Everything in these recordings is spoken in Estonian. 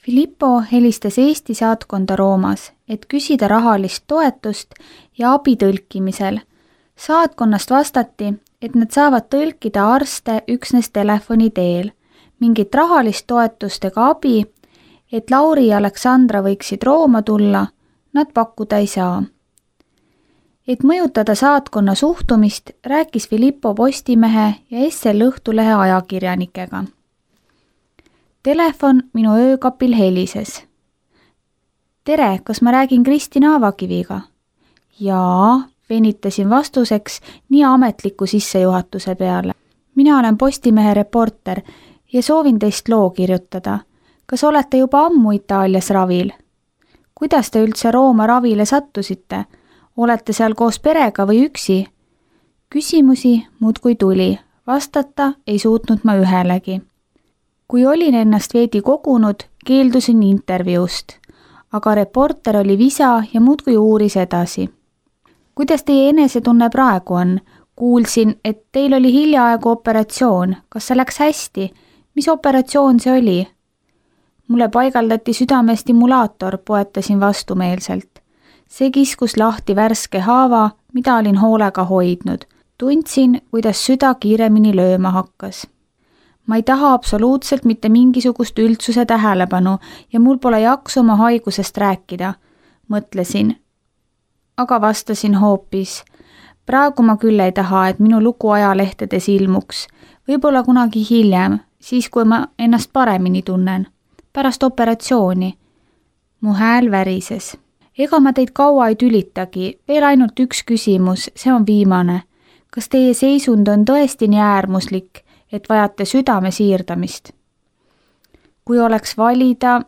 Filippo helistas Eesti saatkonda Roomas, et küsida rahalist toetust ja abi tõlkimisel. Saatkonnast vastati, et nad saavad tõlkida arste üksnes telefoni teel. Mingit rahalist toetust ega abi, et Lauri ja Aleksandra võiksid Rooma tulla, nad pakkuda ei saa. Et mõjutada saatkonna suhtumist, rääkis Filippo Postimehe ja SL Õhtulehe ajakirjanikega. Telefon minu öökapil helises. Tere, kas ma räägin Kristina Avakiviga? Jaa, venitasin vastuseks nii ametliku sissejuhatuse peale. Mina olen Postimehe reporter ja soovin teist loo kirjutada. Kas olete juba ammu Itaalias ravil? Kuidas te üldse Rooma ravile sattusite? Olete seal koos perega või üksi? Küsimusi muudkui tuli. Vastata ei suutnud ma ühelegi. Kui olin ennast veidi kogunud, keeldusin intervjuust, aga reporter oli visa ja muudkui uuris edasi. Kuidas teie enesetunne praegu on? Kuulsin, et teil oli hiljaaegu operatsioon. Kas see läks hästi? Mis operatsioon see oli? Mulle paigaldati südamestimulaator, poetasin vastumeelselt. See kiskus lahti värske haava, mida olin hoolega hoidnud. Tundsin, kuidas süda kiiremini lööma hakkas. Ma ei taha absoluutselt mitte mingisugust üldsuse tähelepanu ja mul pole jaksu oma haigusest rääkida, mõtlesin. Aga vastasin hoopis. Praegu ma küll ei taha, et minu lugu ajalehtedes ilmuks. Võib-olla kunagi hiljem, siis kui ma ennast paremini tunnen. Pärast operatsiooni. Mu hääl värises. Ega ma teid kaua ei tülitagi, veel ainult üks küsimus, see on viimane. Kas teie seisund on tõesti nii äärmuslik, et vajate südame siirdamist? Kui oleks valida,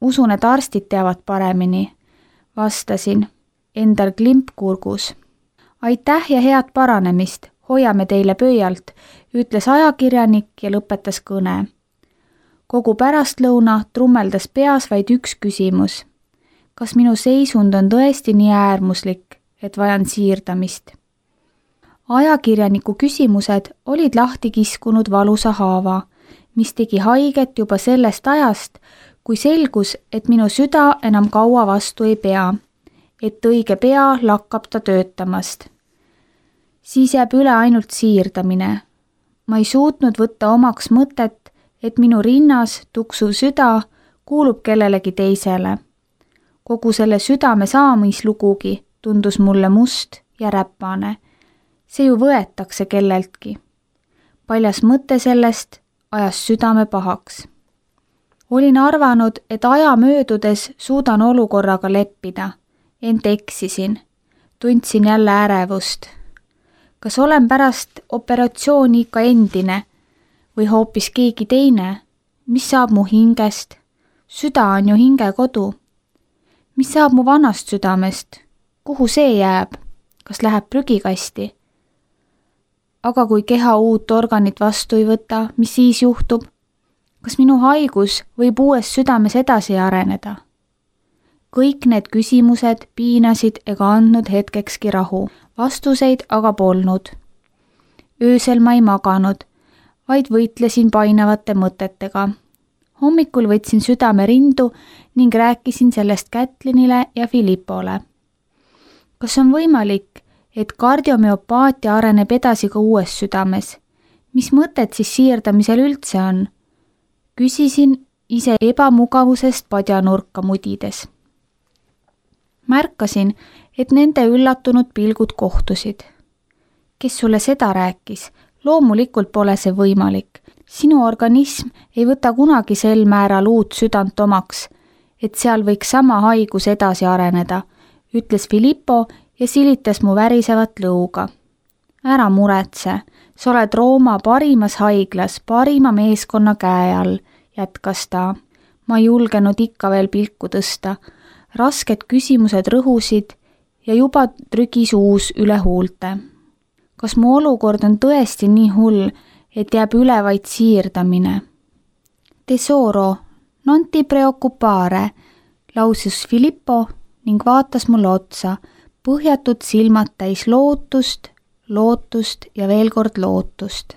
usun, et arstid teavad paremini. Vastasin, endal klimp kurgus. Aitäh ja head paranemist, hoiame teile pöialt, ütles ajakirjanik ja lõpetas kõne. Kogu pärastlõuna trummeldas peas vaid üks küsimus. Kas minu seisund on tõesti nii äärmuslik, et vajan siirdamist? Ajakirjaniku küsimused olid lahti kiskunud valusa haava, mis tegi haiget juba sellest ajast, kui selgus, et minu süda enam kaua vastu ei pea, et õige pea lakkab ta töötamast. Siis jääb üle ainult siirdamine. Ma ei suutnud võtta omaks mõtet, et minu rinnas tuksuv süda kuulub kellelegi teisele. Kogu selle südame saamislugugi tundus mulle must ja räpane. See ju võetakse kelleltki. Paljas mõte sellest ajas südame pahaks. Olin arvanud, et aja möödudes suudan olukorraga leppida. Ent eksisin. Tundsin jälle ärevust. Kas olen pärast operatsiooni ikka endine või hoopis keegi teine? Mis saab mu hingest? Süda on ju hinge kodu. Mis saab mu vanast südamest? Kuhu see jääb? Kas läheb prügikasti? Aga kui keha uut organit vastu ei võta, mis siis juhtub? Kas minu haigus võib uues südames edasi areneda? Kõik need küsimused piinasid ega andnud hetkekski rahu, vastuseid aga polnud. Öösel ma ei maganud, vaid võitlesin painavate mõtetega. Hommikul võtsin südame rindu ning rääkisin sellest Kätlinile ja Filippole. Kas on võimalik, et kardiomüopaatia areneb edasi ka uues südames? Mis mõtet siis siirdamisel üldse on? Küsisin ise ebamugavusest padjanurka mudides. Märkasin, et nende üllatunud pilgud kohtusid. Kes sulle seda rääkis? Loomulikult pole see võimalik. Sinu organism ei võta kunagi sel määral uut südant omaks, et seal võiks sama haigus edasi areneda, ütles Filippo ja silitas mu värisevat lõuga. Ära muretse, sa oled Rooma parimas haiglas, parima meeskonna käe all, jätkas ta. Ma ei julgenud ikka veel pilku tõsta. Rasked küsimused rõhusid ja juba trügis uus üle huulte. Kas mu olukord on tõesti nii hull, et jääb üle vaid siirdamine? Tesoro, non ti preoccupare, lausus Filippo ning vaatas mulle otsa, põhjatud silmad täis lootust, lootust ja veel kord lootust.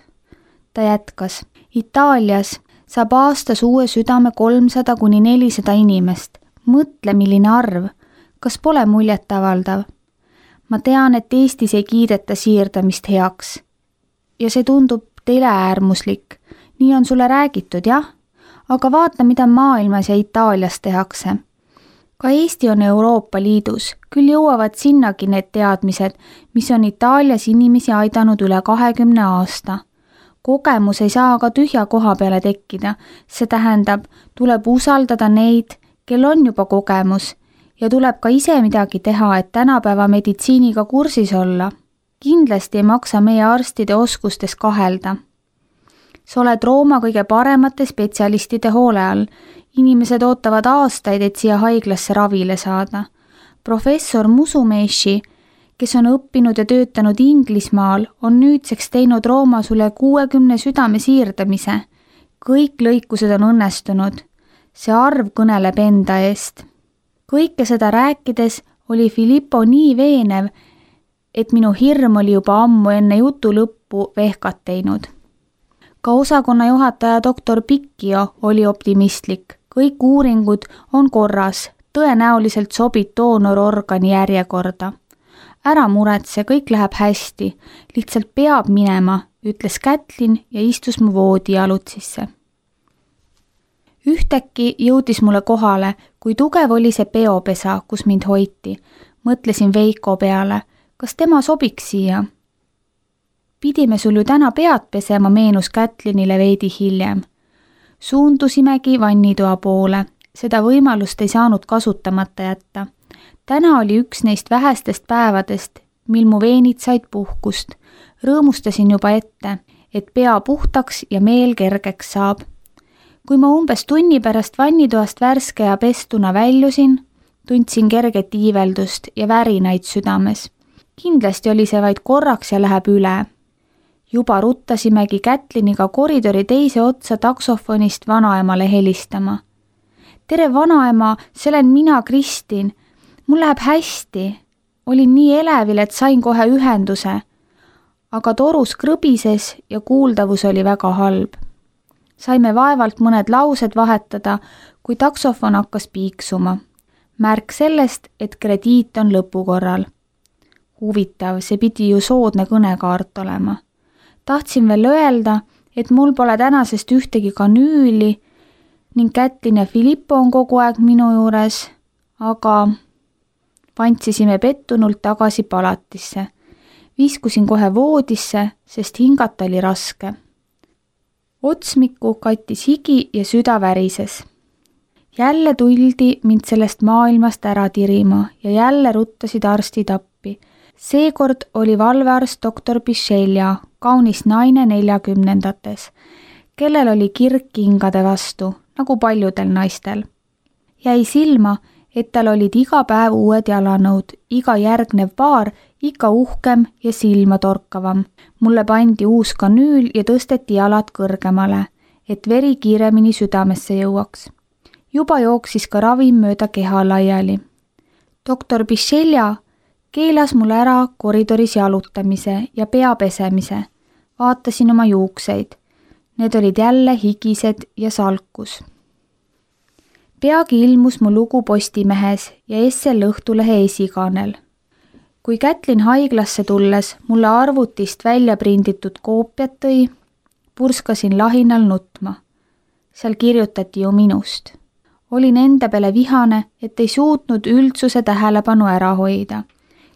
Ta jätkas, Itaalias saab aastas uue südame 300–400 inimest. Mõtle, milline arv. Kas pole muljetavaldav? Ma tean, et Eestis ei kiideta siirdamist heaks. Ja see tundub teile äärmuslik. Nii on sulle räägitud, jah? Aga vaata, mida maailmas ja Itaalias tehakse. Ka Eesti on Euroopa Liidus, küll jõuavad sinnagi need teadmised, mis on Itaalias inimesi aidanud üle 20 aasta. Kogemus ei saa aga tühja koha peale tekkida, see tähendab, tuleb usaldada neid, kel on juba kogemus ja tuleb ka ise midagi teha, et tänapäeva meditsiiniga kursis olla. Kindlasti ei maksa meie arstide oskustes kahelda. Sa oled Rooma kõige paremate spetsialistide hoole all. Inimesed ootavad aastaid, et siia haiglasse ravile saada. Professor Musumeci, kes on õppinud ja töötanud Inglismaal, on nüüdseks teinud Roomas üle 60 südame siirdamise. Kõik lõikused on õnnestunud. See arv kõneleb enda eest. Kõike seda rääkides oli Filippo nii veenev, et minu hirm oli juba ammu enne jutu lõppu vehkat teinud. Ka osakonna juhataja doktor Pikkio oli optimistlik. Kõik uuringud on korras, tõenäoliselt sobib doonororgani järjekorda. Ära muretse, kõik läheb hästi, lihtsalt peab minema, ütles Kätlin ja istus mu voodi jalutsisse. Ühtäkki jõudis mulle kohale, kui tugev oli see peopesa, kus mind hoiti. Mõtlesin Veiko peale, kas tema sobiks siia? Pidime sul ju täna pead pesema, meenus Kätlinile veidi hiljem. Suundusimegi vannitoa poole, seda võimalust ei saanud kasutamata jätta. Täna oli üks neist vähestest päevadest, mil mu veenid said puhkust. Rõõmustasin juba ette, et pea puhtaks ja meel kergeks saab. Kui ma umbes tunni pärast vannitoast värske ja pestuna väljusin, tundsin kerget iiveldust ja värinaid südames. Kindlasti oli see vaid korraks ja läheb üle. Juba ruttasimegi Kätliniga koridori teise otsa taksofonist vanaemale helistama. Tere vanaema, see olen mina, Kristin. Mul läheb hästi. Olin nii elevil, et sain kohe ühenduse. Aga torus krõbises ja kuuldavus oli väga halb. Saime vaevalt mõned laused vahetada, kui taksofon hakkas piiksuma. Märk sellest, et krediit on lõpukorral. Huvitav, see pidi ju soodne kõnekaart olema. Tahtsin veel öelda, et mul pole tänasest ühtegi kanüüli ning Kätlin ja Filippo on kogu aeg minu juures, aga pantsisime pettunult tagasi palatisse. Viskusin kohe voodisse, sest hingata oli raske. Otsmiku kattis higi ja süda värises. Jälle tuldi mind sellest maailmast ära tirima ja jälle ruttasid arstid appi. Seekord oli valvearst doktor Bisceglia, kaunis naine 40-ndates, kellel oli kirg kingade vastu, nagu paljudel naistel. Jäi silma, et tal olid iga päev uued jalanõud, iga järgnev paar ikka uhkem ja silma torkavam. Mulle pandi uus kanüül ja tõsteti jalad kõrgemale, et veri kiiremini südamesse jõuaks. Juba jooksis ka ravim mööda keha laiali. Doktor Bisceglia keelas mulle ära koridoris jalutamise ja pea pesemise. Vaatasin oma juukseid. Need olid jälle higised ja salkus. Peagi ilmus mu lugu Postimehes ja SL Õhtulehe esikaanel. Kui Kätlin haiglasse tulles mulle arvutist välja prinditud koopiat tõi, purskasin lahinal nutma. Seal kirjutati ju minust. Olin enda peale vihane, et ei suutnud üldsuse tähelepanu ära hoida.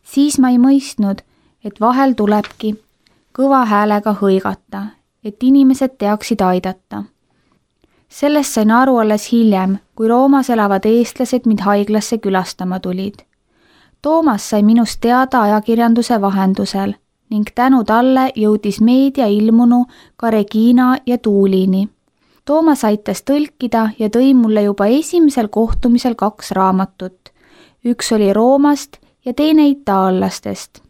Siis ma ei mõistnud, et vahel tulebki kõva häälega hõigata, et inimesed teaksid aidata. Sellest sain aru alles hiljem, kui Roomas elavad eestlased mind haiglasse külastama tulid. Toomas sai minust teada ajakirjanduse vahendusel ning tänu talle jõudis meedia ilmunu ka Regina ja Tuulini. Toomas aitas tõlkida ja tõi mulle juba esimesel kohtumisel 2 raamatut. Üks oli Roomast ja teine itaallastest.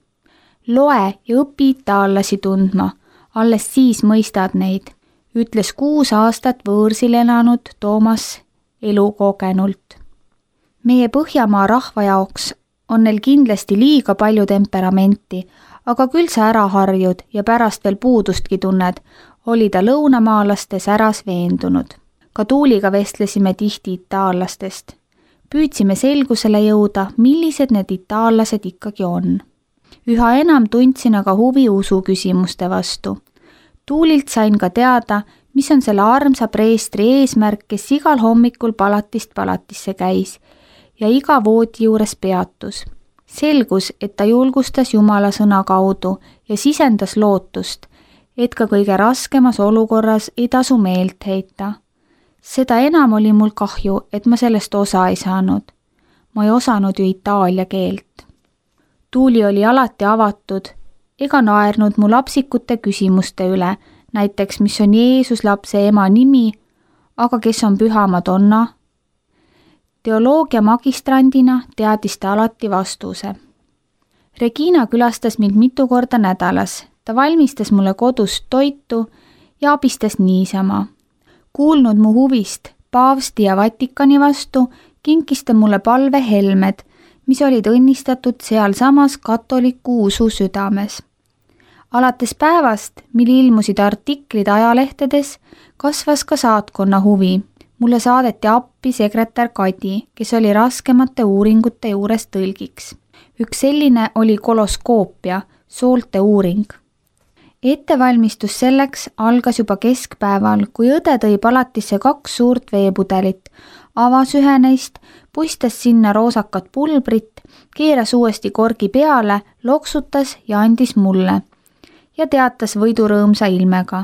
Loe ja õpi itaallasi tundma, alles siis mõistad neid, ütles 6 aastat võõrsil elanud Toomas elukogenult. Meie Põhjamaa rahva jaoks on neil kindlasti liiga palju temperamenti, aga küll sa ära harjud ja pärast veel puudustki tunned, oli ta lõunamaalaste säras veendunud. Ka Tuuliga vestlesime tihti itaallastest. Püüdsime selgusele jõuda, millised need itaallased ikkagi on. Üha enam tundsin aga huvi usu küsimuste vastu. Tuulilt sain ka teada, mis on selle armsa preestri eesmärk, kes igal hommikul palatist palatisse käis ja iga voodi juures peatus. Selgus, et ta julgustas Jumala sõna kaudu ja sisendas lootust, et ka kõige raskemas olukorras ei tasu meelt heita. Seda enam oli mul kahju, et ma sellest osa ei saanud. Ma ei osanud ju itaalia keelt. Tuuli oli alati avatud ega naernud mu lapsikute küsimuste üle, näiteks mis on Jeesus lapse ema nimi, aga kes on Püha Madonna. Teoloogia magistrandina teadis ta alati vastuse. Regina külastas mind mitu korda nädalas. Ta valmistas mulle kodust toitu ja abistas niisama. Kuulnud mu huvist paavsti ja Vatikani vastu, kinkis ta mulle palvehelmed, mis olid õnnistatud sealsamas katoliku usu südames. Alates päevast, mil ilmusid artiklid ajalehtedes, kasvas ka saatkonna huvi. Mulle saadeti appi sekretär Kadi, kes oli raskemate uuringute juures tõlgiks. Üks selline oli koloskoopia, soolte uuring. Ettevalmistus selleks algas juba keskpäeval, kui õde tõi palatisse 2 suurt veepudelit, avas ühe neist, puistas sinna roosakat pulbrit, keeras uuesti korgi peale, loksutas ja andis mulle ja teatas võidurõõmsa ilmega.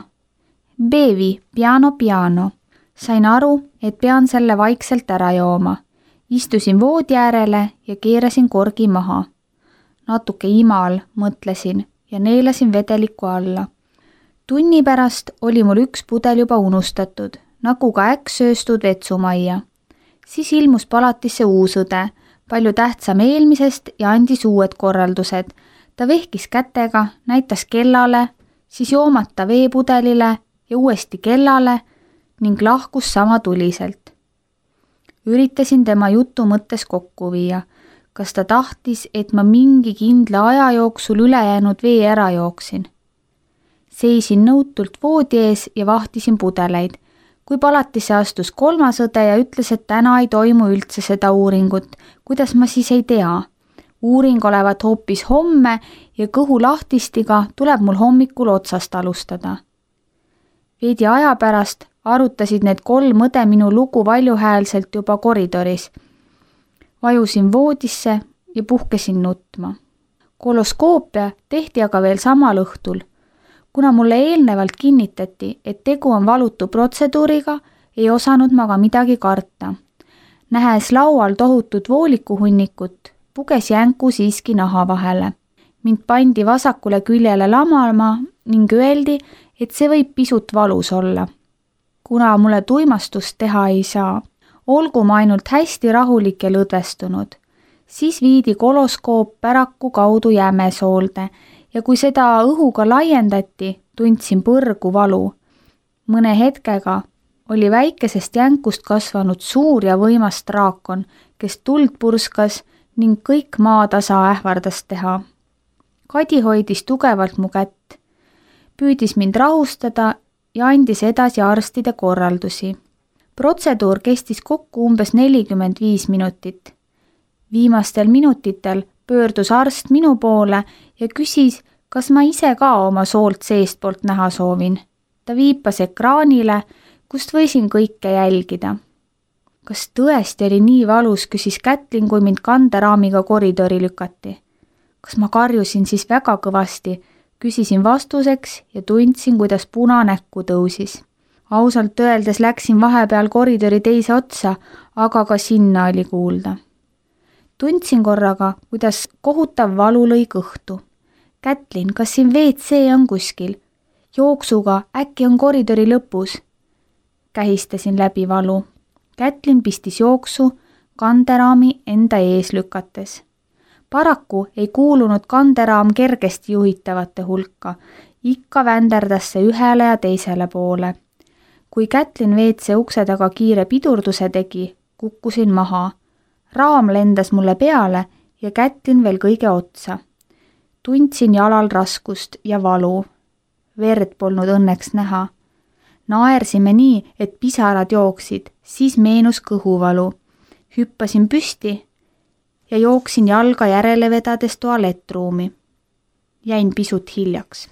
Bevi, piano, piano. Sain aru, et pean selle vaikselt ära jooma. Istusin voodi äärele ja keerasin korgi maha. Natuke imal, mõtlesin ja neelasin vedeliku alla. Tunni pärast oli mul 1 pudel juba unustatud, nagu ka äkksööstud vetsumajja. Siis ilmus palatisse uus õde, palju tähtsam eelmisest ja andis uued korraldused. Ta vehkis kätega, näitas kellale, siis joomata veepudelile ja uuesti kellale ning lahkus sama tuliselt. Üritasin tema jutu mõttes kokku viia. Kas ta tahtis, et ma mingi kindla aja jooksul ülejäänud vee ära jooksin? Seisin nõutult voodi ees ja vahtisin pudeleid. Kui palatisse astus 3. õde ja ütles, et täna ei toimu üldse seda uuringut, kuidas ma siis ei tea? Uuring olevat hoopis homme ja kõhu lahtistiga tuleb mul hommikul otsast alustada. Veidi aja pärast arutasid need 3 õde minu lugu valjuhäälselt juba koridoris. Vajusin voodisse ja puhkesin nutma. Koloskoopia tehti aga veel samal õhtul. Kuna mulle eelnevalt kinnitati, et tegu on valutu protseduuriga, ei osanud ma ka midagi karta. Nähes laual tohutut voolikuhunnikut, puges jänku siiski naha vahele. Mind pandi vasakule küljele lamama ning öeldi, et see võib pisut valus olla. Kuna mulle tuimastust teha ei saa, olgu ma ainult hästi rahulik ja lõdvestunud. Siis viidi koloskoop päraku kaudu jämesoolde ja kui seda õhuga laiendati, tundsin põrgu valu. Mõne hetkega oli väikesest jänkust kasvanud suur ja võimas draakon, kes tuld purskas ning kõik maatasa ähvardas teha. Kadi hoidis tugevalt mu kätt, püüdis mind rahustada ja andis edasi arstide korraldusi. Protseduur kestis kokku umbes 45 minutit. Viimastel minutitel pöördus arst minu poole ja küsis, kas ma ise ka oma soolt seestpoolt näha soovin. Ta viipas ekraanile, kust võisin kõike jälgida. Kas tõesti oli nii valus, küsis Kätlin, kui mind kanderaamiga koridori lükati. Kas ma karjusin siis väga kõvasti, küsisin vastuseks ja tundsin, kuidas puna näkku tõusis. Ausalt öeldes läksin vahepeal koridori teise otsa, aga ka sinna oli kuulda. Tundsin korraga, kuidas kohutav valu lõi kõhtu. Kätlin, kas siin WC on kuskil? Jooksuga, äkki on koridori lõpus? Kähistasin läbi valu. Kätlin pistis jooksu, kanderaami enda ees lükates. Paraku ei kuulunud kanderaam kergesti juhitavate hulka. Ikka vänderdas see ühele ja teisele poole. Kui Kätlin WC ukse taga kiire pidurduse tegi, kukkusin maha. Raam lendas mulle peale ja Kätlin veel kõige otsa. Tundsin jalal raskust ja valu. Verd polnud õnneks näha. Naersime nii, et pisarad jooksid, siis meenus kõhuvalu. Hüppasin püsti ja jooksin jalga järele vedades tualettruumi. Jäin pisut hiljaks.